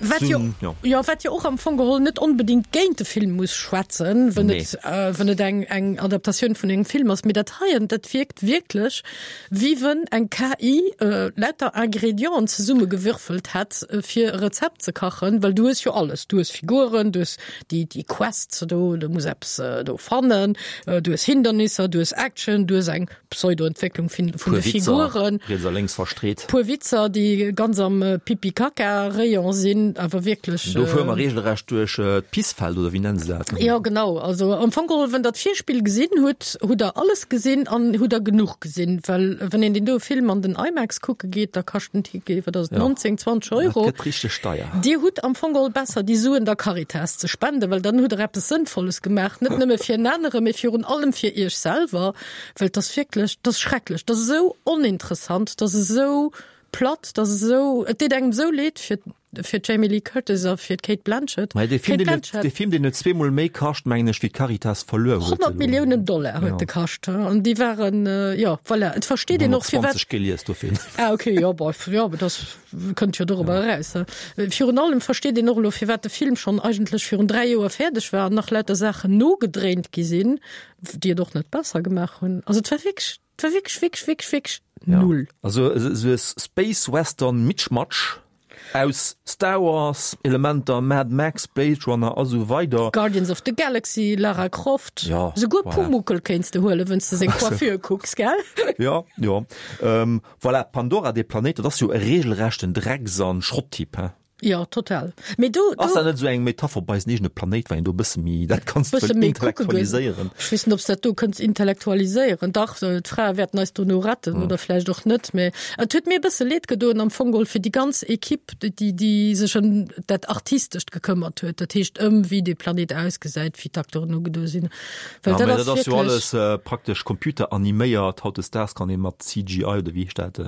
Wat jo, Zum, ja. ja, wat jo och am Fong geholl net onbedingt géint de Film muss schwätzen, wann Nee. et, äh, wann et eng, eng Adaptatioun vun engem Film ass. Mee dat heien, dat wierkt wierklech, wéi wann eng K I äh, lauter Ingredienten zesummegewürfelt hätt, äh, fir e Rezept ze kachen, well du hues jo alles. Du hues Figuren, du hues déi, déi Quests do, du muss eppes äh, do fannen, äh, du hues Hindernisser, du hues Action, du hues eng Pseudo-Entwécklung vun Puer de Witzer, Figuren. riets a lénks verstreet. Puer Witzer, déi ganz am äh, Pipi-Kaka-Rayon sinn. gesinn, awer wierklech. Do fuere mer regelrecht duerch d'Pissfeld, oder wéi nennen se dat? Jo, genau. Also am Fong geholl, wann der d'Virspill gesinn hutt, hutt der alles gesinn an hutt der genuch gesinn. Well wann een deen doe Film an den IMAX kucke geet, da kascht den Ticket, wat ass et, neunzéng, zwanzeg Euro. Dat gëtt richteg deier. Dir hutt am Fong geholl besser, déi Suen der Caritas ze spenden, well dann hutt der eppes Sënnvolles gemaach, net nëmme fir en anere, mee virun allem fir Iech selwer, well 't ass wierklech, 't ass schrecklech, 't ass esou oninteressant, 't ass esou platt, 't ass esou, et deet engem esou leed fir, fir d'Jamie Lee Curtis a fir d'Cate Blanchett. Mä dee Film, D'Cate deen huet, Blanchett. dee Film, deen huet zweemol méi kascht, mengen ech, wéi d'Caritas verluer huet honnert elo. Milliounen Dollar huet Ja. de kascht, an déi waren, jo, voilà, et versteet een och firwat. hunnertzwanzeg gelies dofir. Ah, okay, jo, bon, jo, dat kënnt jo dorobber eraus. Virun allem versteet een och elo, firwat de Film schonn eigentlech virun dräi Joer fäerdeg war an nach lauter Saachen nogedréint gi sinn, déi et och net besser gemaach hunn. Also et war wierklech, et war wierklech, wierklech, wierklech, wierklech null. Also esou e Space Western Mitschmatsch aus Star Wars Elementer, Mad Max, Blade Runner a sou weider. Guardians of the Galaxy, Lara Croft, Ja, souguer voilà. Pumuckl kéints de huelen, wann s de seng Coiffure kucks, gell? Ja, jo. Ähm, voilà, Pandora, dee Planéit, dat ass jo e regelrechten Drecks an Schrotttipp, he? Jo, total. Mee do, Ass dat do net esou eng Metapher op eisen eegene Planéit, well een do e bësse méi dat Ganzt bësse wëll méi kucke goen. intellektualiséieren? Ech weess net, ob s dat do kënns intellektualiséieren. Dach, d'Frae wäerten eis dono retten oder vläicht och net. Mee et huet mir e bësse leed gedoen am Fong geholl fir déi ganz Equipe, déi, déi sech ëm dat Artistescht gekëmmert huet, dat heescht ëm wéi dee Planéit ausgesäit, wéi d'Acteuren ugedo sinn. Well Ja, dat mee ass dat ass jo wierklech. alles praktesch computeraniméiert. Hautdesdaags kann ee mat C G I oder wéi heescht dat,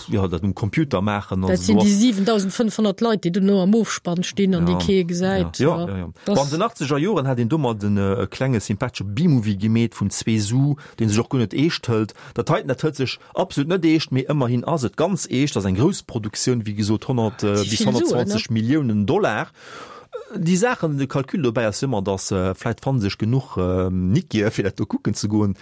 jo, dat um Computer maachen. Dat sinn déi siwentausendfënnfhonnert Leit, déi dono am Ofspann stinn an déi kee gesäit. Ja, ja, ja. Bon, an den achtzeger Joren hat een domat en e klenge sympathesche B-Movie gemeet vun zwee Su, dee sech och guer net eescht hëlt. Dat heiten, dat hëlt sech absolut net eescht, mee ëmmerhin ass et ganz eescht. Ass eng grouss Produktioun, wéi gesot honnert bis honnertzwanzeg Milliounen Dollar. Déi Saachen, de Calcul dobäi ass ëmmer, datt vläit fanne sech genuch Nickier, fir dat do kucken ze goen.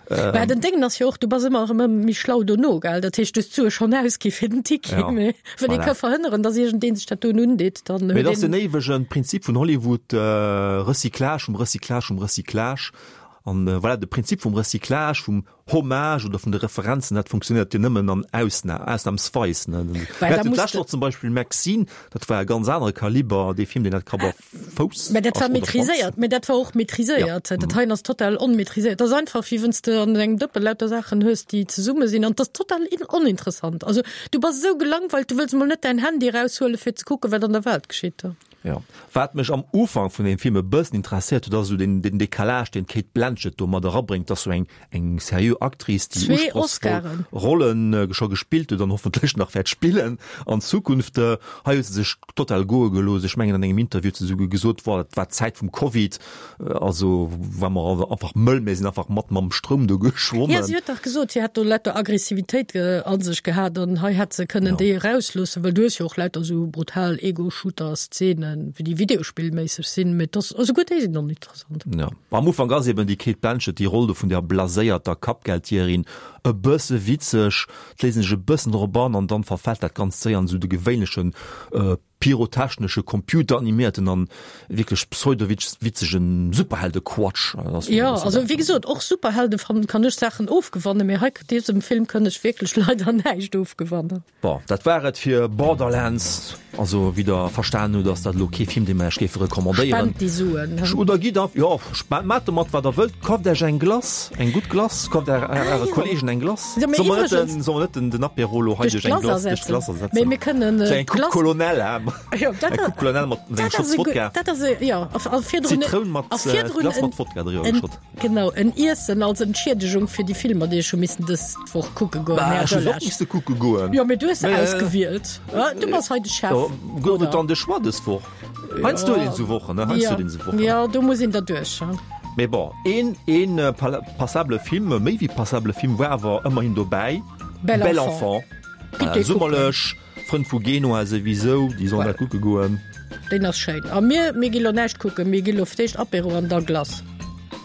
Mä den Déngen ass jo och, du bass ëmmer erëm méi schlau dono, gell? Dat heescht, du hues d'Sue schonn ausgi fir den Ticket, Ja, mä wann ee voilà. ka verhënneren, datt iergendeen sech dat doen undeet, dann Mee huet dat ass een. den éiwegen Prinzip vun Hollywood, Recyclage vum Recyclage vum Recyclage. An voilà, de Prinzip vum Recyclage, vum Hommage oder vun de Referenzen, dat funktionéiert jo nëmmen an Ausna ausnahmsweis. Ne? Well Mir da haten muss d'lescht de Woch zum Beispill Maxine, dat war e ganz anere Kaliber, dee Film, deen hat Kapp a Fouss Mä dat war ass oder Schwanz. maîtriséiert, mä dat war och Ja. maîtriséiert. Dat heien ass total onmaîtriséiert. Dat ass einfach, wéi wann s de an engem Dëppe lauter Saachen hues, déi zesumme sinn. An dat ass total in oninteressant. Also du bass esou gelangweilt, du wëlls mol net däin Handy eraushuele fir ze kucken, wat an der Welt geschitt. Jo. Wat mech am Ufank vun dem Film e bëssen interesséiert huet, ass esou den, den Décalage, deen d'Cate Blanchett do mat erabréngt. Dat ass esou eng, eng seriö Actrice, déi Zwee usprochsvoll Oscaren. Rollen scho gespillt huet an hoffentlech nach wäert spillen an Zukunft. Hei huet se sech total goe gelooss. Ech mengen, an engem Interview huet se esouguer gesot, Woah, dat war d'Zäit vum Covid, also war mer einfach mëll, mir sinn einfach mat mam Stroum do Jo, geschwommen. si huet dach gesot, si hätt do lauter Aggressivitéit a sech gehat an hei hätt se kënnen déi erausloossen, well du hues jo och lauter esou brutal Ego-Shooter-Szenen, wéi déi videospillméisseg sinn, mee dass, esouguer déi sinn oninteressant. Ja. Am Ufank ass eben déi Cate Blanchett, déi Roll do vun der blaséierter Kappgeldjägerin, e bësse witzeg, d'léisen sech e bëssen drop an an dann verfält dat Ganzt séier an esou de gewéinlechen pyrotechnesche, computeraniméierten an wierklech pseudowitzegen Superheldequatsch. Jo, also wéi gesot, och Superhelde fannen, kann ech Saachen ofgewannen, mee hei dësem Film kënn ech wierklech leider näischt ofgewannen. Bon, dat war et fir Borderlands. Also wéi der verstan hutt, ass dat elo kee Film, dee mer iech géife recommandéieren. Spent déi Suen. Oder gitt a, jo, spent, maacht domat wat der wëllt, kaaft iech eng Glace, eng gutt Glace, kaaft är, äre Kollegen eng Glace. Jo, mee Solle mer net iwwregens. den, solle mer net den, den Apéro elo hei Duerch duerch eng d'Glace Glace, duerch d'Glace ersetzen. ersetzen? Mee mir kënnen Sou eng Coupe d'Glace. Colonel, hä? Jo, dat Eng Coupe Colonel mat engem dat Schotz ass e gutt, Wodka. dat ass e, jo, a, a virdrun, Zitroun mat, a virdrun Glace en, mat Wodka driwwer en, geschott. genau, en Iessen als Entschiedegung fir déi Filmer, déi ech hu missen dës Woch kucke goen, Bah, Här ech hu se och Delage. misste kucke goen. Jo, mee du hues se Mee, ausgewielt. Du bass hei de Chef. Jo, gouf et dann de Choix dës Woch? Heiansdo huet een esou Wochen, ne? Heiansdo Ja, huet een esou Wochen. ja, do muss een derduerch. Mee bon, een, een passabele Film, méi wéi passabele Film, war awer ëmmerhin dobäi, Bel Bel Enfant. Enfant. Gitt dee kucken. Summerlech, Frënn vu Genua souwisou, déi sollen dat kucke goen. Deen ass schéin. A mir, mir gi lo näischt kucken, mir gi lo fir d'éischt Apéro an da Glace.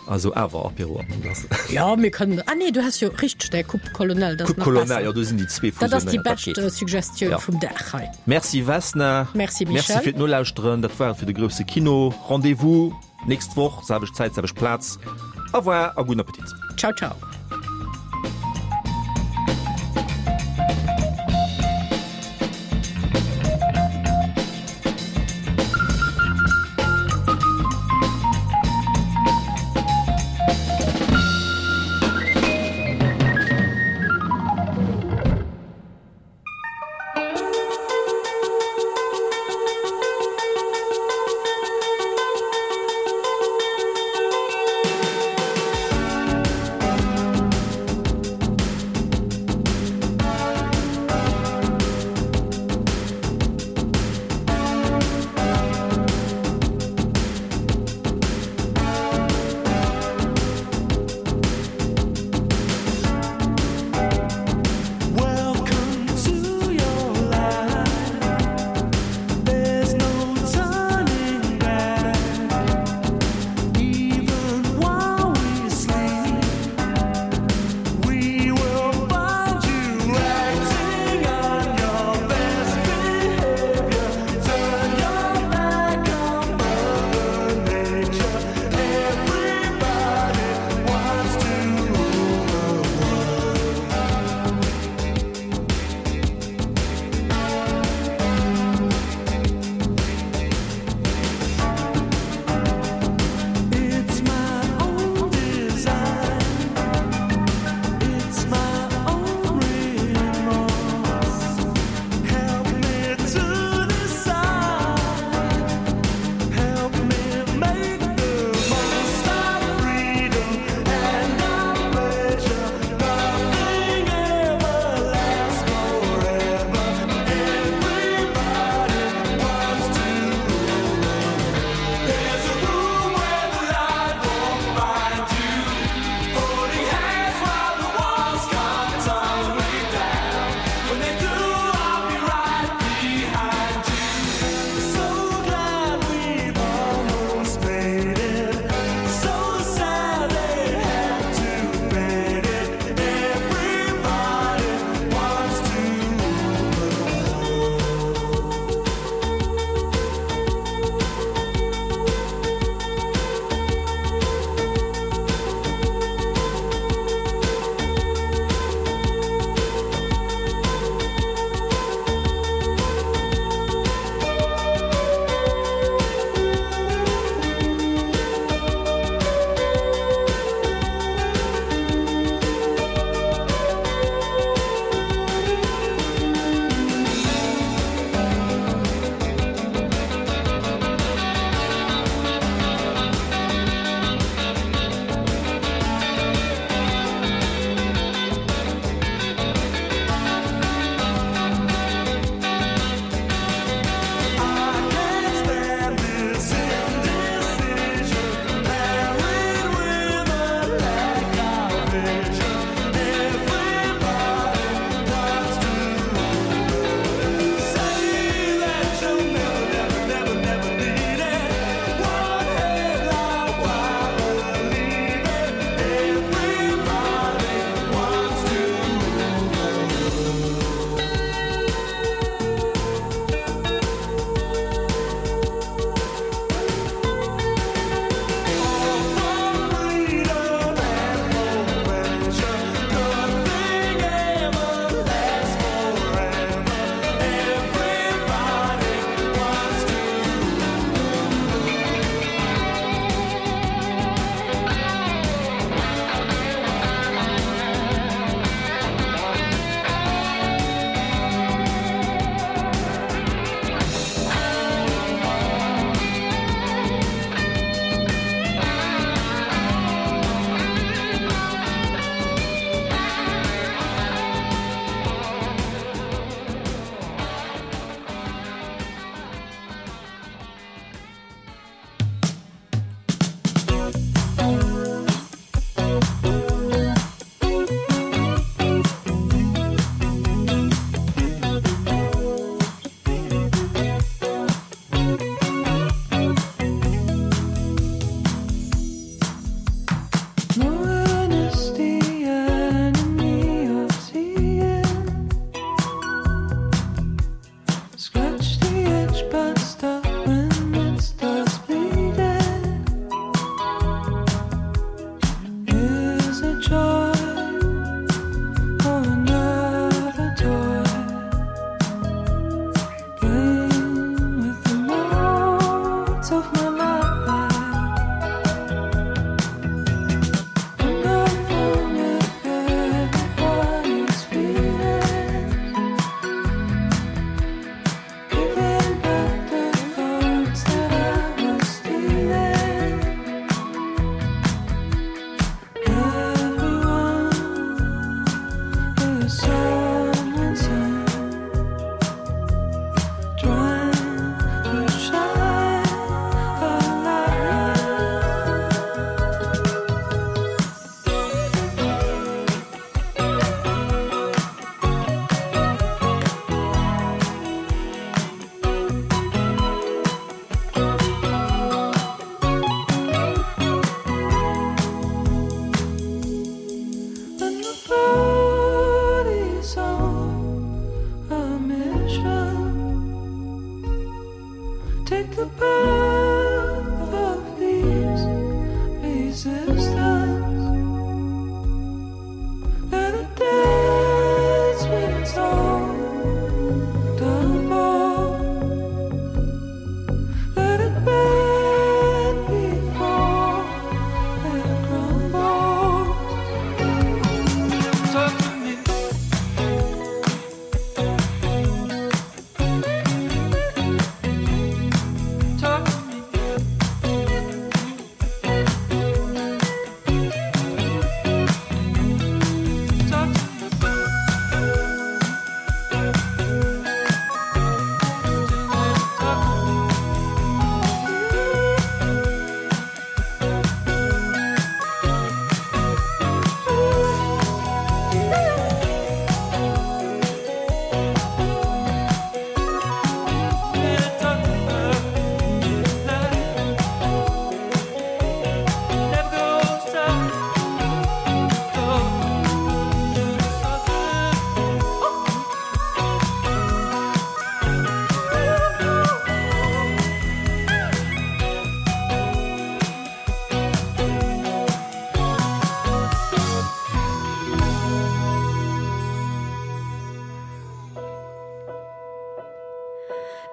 Also awer Apéro an Glace. Ja, mir kënnen, ah nee, du has jo richteg däi Coupe Colonel, dat ass Coupe nach Colonel, besser. jo, do sinn déi zwee Dat ass déi fusionéiert, dat bescht geet. Suggestioun Ja. vum Dag hei. Merci Vesna. Merci Merci Michel. fir d'Nolauschteren. Dat war et fir de grousse Kino. Rendez-vous nächst Woch, selwecht Zäit, selwecht Plaz. Au revoir a gudden Appetit. Ciao, ciao.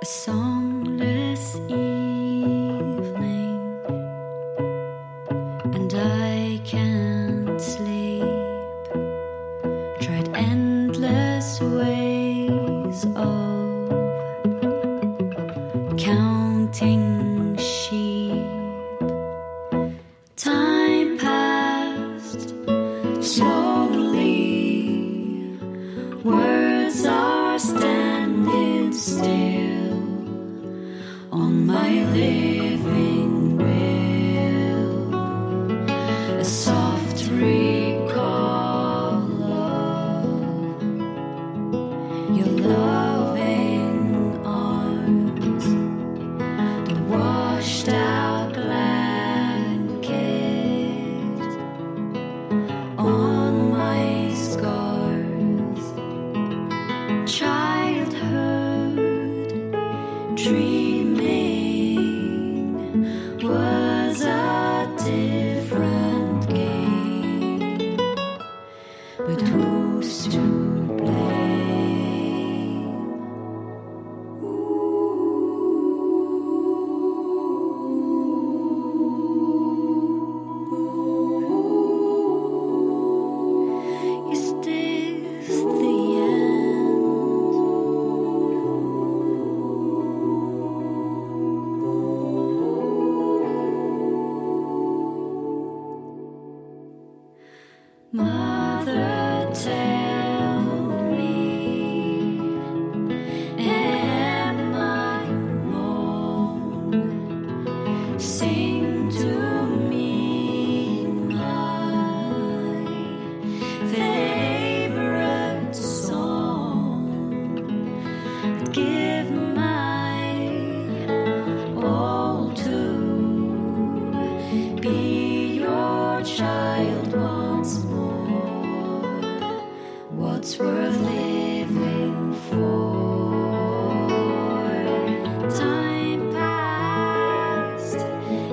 A songless evening, and I can't sleep. Tried endless ways of counting sheep. Time passed slowly. Words are standing still on my living will. A soft recall of your loving arms, the washed out blanket on my scars. Childhood dreaming was a different game, but who's to blame? Is this the end? Mother, tell me, am I wrong? Sing to me my favorite song. I'd give my all to be your child once more. What's worth living for? Time passed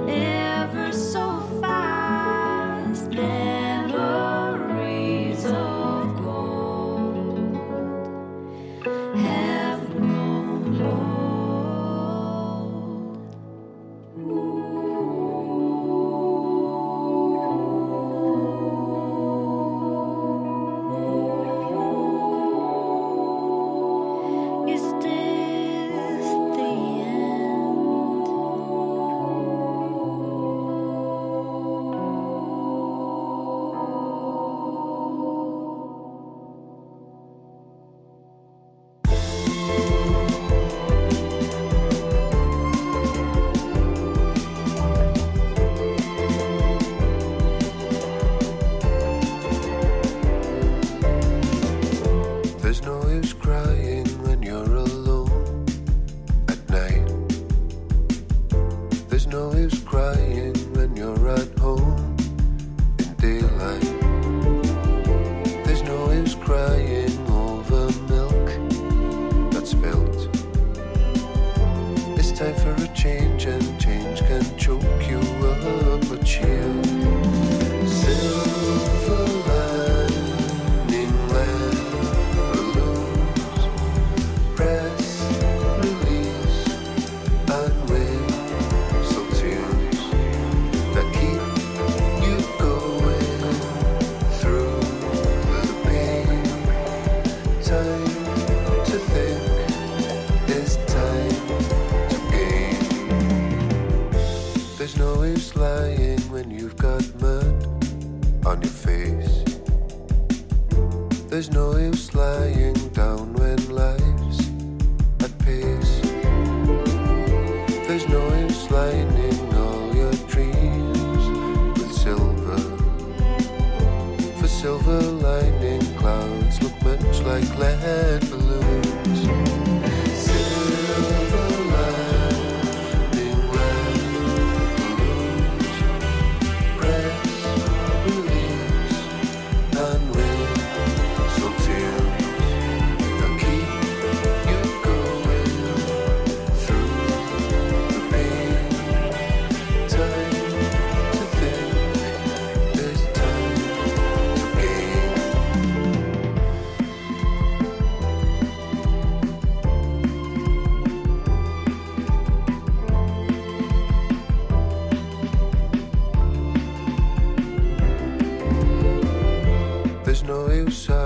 ever so fast. Memories of gold have grown old. Is this the end? There's no use crying when you're alone at night. There's no use crying when you're at home in daylight. There's no use crying over milk that's spilt. It's time for a change, and change can choke you up or cheer. Silver lining lead balloons, press release and whistle tunes that keep you going through the pain. Time to think is time to gain. There's no use lying when you've got mud on your face. There's no use lying down when life's at pace. There's no use lining all your dreams with silver. For silver lining clouds look much like lead balloons. Silver lining lead balloons. Press, release, and whistle tunes that keep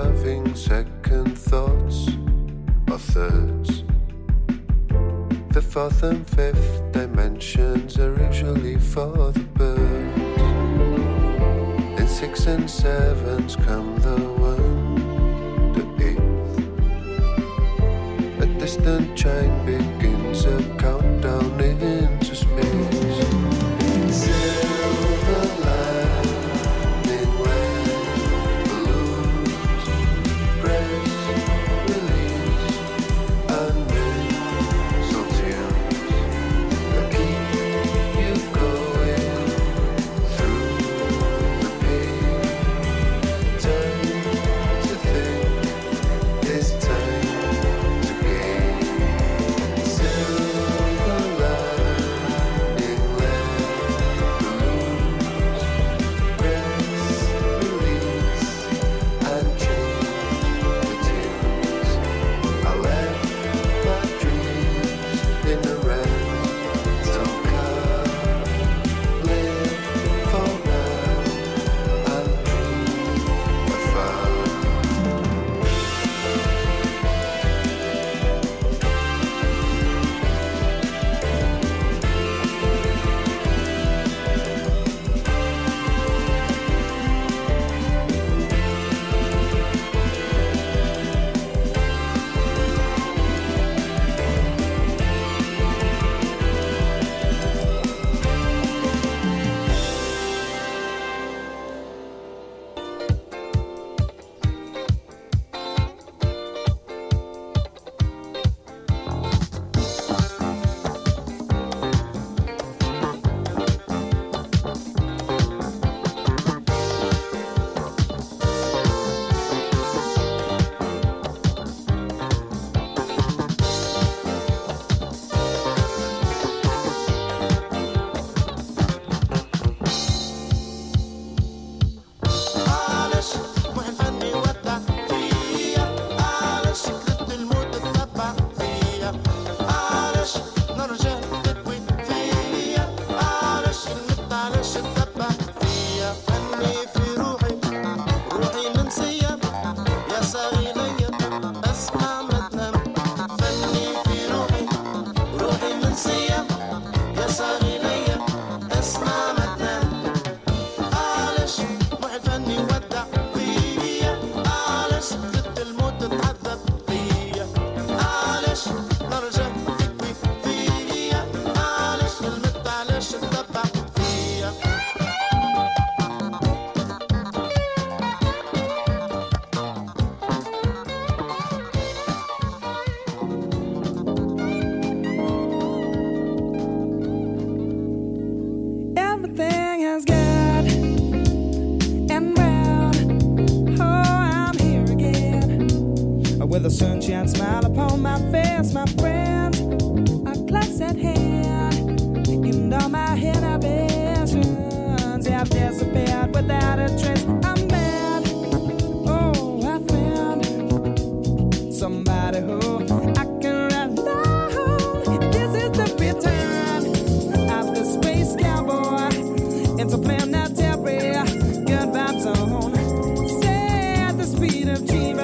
having second thoughts or thirds. The fourth and fifth dimensions are usually for the birds. In six and sevens come the one, the eighth. A distant chime begins a countdown into space. Silver lining lead balloons, press release and missile tunes that keep you going through the pain. Time to think is time to gain. Silver lining lead balloons, press release and change the tunes. I left my dreams in a rental car. Live for now and dream afar. علاش محي الفني ودع فيا علاش كتبت الموت تتبع فيا علاش نرجع تدوي فيا علاش المت علاش تتبع فيا فني في روحي روحي منسية يا صاغي ليا اسمع ما تنام فني في روحي روحي منسية يا صاغي ليا اسمع ما تنام علاش محي الفني ودع فيا علاش كتبت الموت تتعذب فيا علاش نرجع تكوي فيا علاش المت علاش تتبع فيا Everything has got and round. Oh, I'm here again. With a sunshine smile upon my face, my friends are close at hand. And all my inhibitions have disappeared without a trace. I'm mad. Oh, I found somebody who I can rely on. This is the return of the space cowboy interplanetary good vibes on. Said the speed of dreaming.